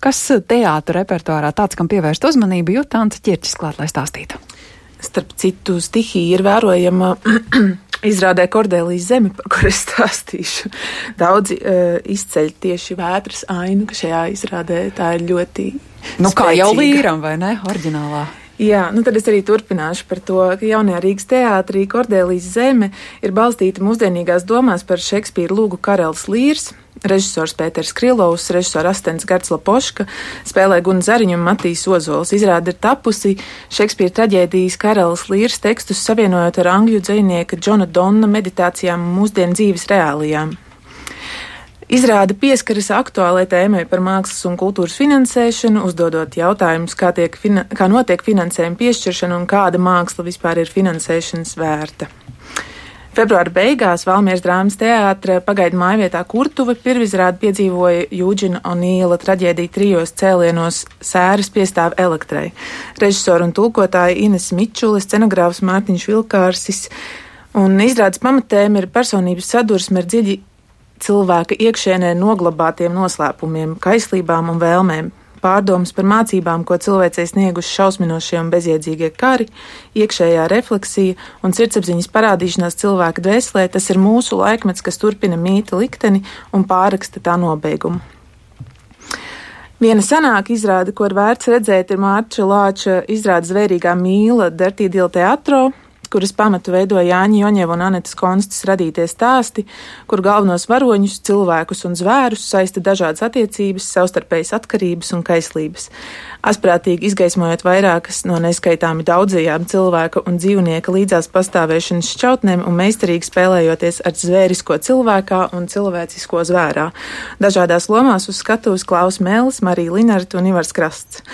kas teātra repertuārā tāds, kam pievērst uzmanību, Jūtāns Ķirķis klāt, lai stāstītu. Starp citu, stihija ir vērojama izrādē Kordelijas zeme, par kur es stāstīšu. Daudzi izceļ tieši vētras ainu, ka šajā izrādē tā ir ļoti Nu, kā spēcīga. jau līram, vai ne, oriģinālā? Jā, nu tad es arī turpināšu par to, ka jaunajā Rīgas teātrī Kordelijas zeme ir balstīta mūsdienīgās domās par Šekspīra lūgu Karelis Līrs. Režisors Pēters Krilovs, režisora asistents Gards Lapoška, spēlē Guna Zariņu un Matīs Ozols. Izrāde ir tapusi Šekspīra traģēdijas Karelis Līrs tekstus savienojot ar angļu dzejnieka Džona Donna meditācijām un mūsdienu dzīves reālijām. Izrāde pieskaras aktuālai tēmai par mākslas un kultūras finansēšanu, uzdodot jautājumus, kā notiek finansējuma piešķiršana un kāda māksla vispār ir finansēšanas vērta. Februāra beigās Valmieras drāmas teātra pagaidu mājvietā Kurtuve pirmizrādi piedzīvoja Jūģina Onīla traģēdiju trijos cēlienos Sēras piestāv elektrai. Režisora un tulkotāja Ines Mičule, scenogrāfs Mārtiņš Vilkārsis, un izrādes pamatēma ir personības sadursme ar dziļi cilvēka iekšēnē noglabātiem noslēpumiem, kaislībām un vēlmēm, pārdomas par mācībām, ko cilvēcei snieguši šausminošie un bezjēdzīgie kari, iekšējā refleksija un sirdsapziņas parādīšanās cilvēka dvēselē, tas ir mūsu laikmets, kas turpina mīta likteni un pārraksta tā nobeigumu. Viena senāka izrāde, ko ir vērts redzēt, ir Mārča Lāča izrāde Zvērīgā mīla Dirty Deal Teatro, kuras pamatu veido Jāņa Joņeva un Anetas Konstas radītie stāsti, kur galvenos varoņus, cilvēkus un zvērus saista dažādas attiecības, savstarpējas atkarības un kaislības. Asprātīgi izgaismojot vairākas no neskaitāmi daudzajām cilvēka un dzīvnieka līdzās pastāvēšanas šķautnēm un meistarīgi spēlējoties ar zvērisko cilvēkā un cilvēcisko zvērā. Dažādās lomās uz skatuves Klaus Mēlis, Marija Linarta un Ivars Krasts.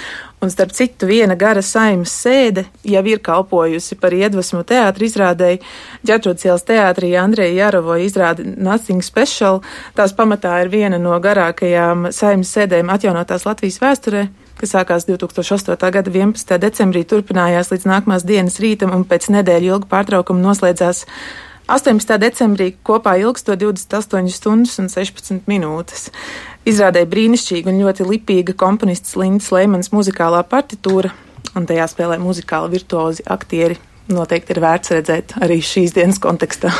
Un starp citu, viena gara saimas sēde jau ir kalpojusi par iedvesmu teātra izrādēji. Ģertrūdas ielas teātrī Andreja Jārovo izrāde Nothing Special. Tās pamatā ir viena no garākajām saimas sēdēm atjaunotās Latvijas vēsturē, kas sākās 2008. gada 11. decembrī, turpinājās līdz nākamās dienas rītam un pēc nedēļu ilga pārtraukuma noslēdzās 18. decembrī, kopā ilgstot 28 stundas un 16 minūtes. Izrādēja brīnišķīga un ļoti lipīga komponists Lindas Leimans muzikālā partitūra, un tajā spēlē muzikāli virtuozi aktieri. Noteikti ir vērts redzēt arī šīs dienas kontekstā.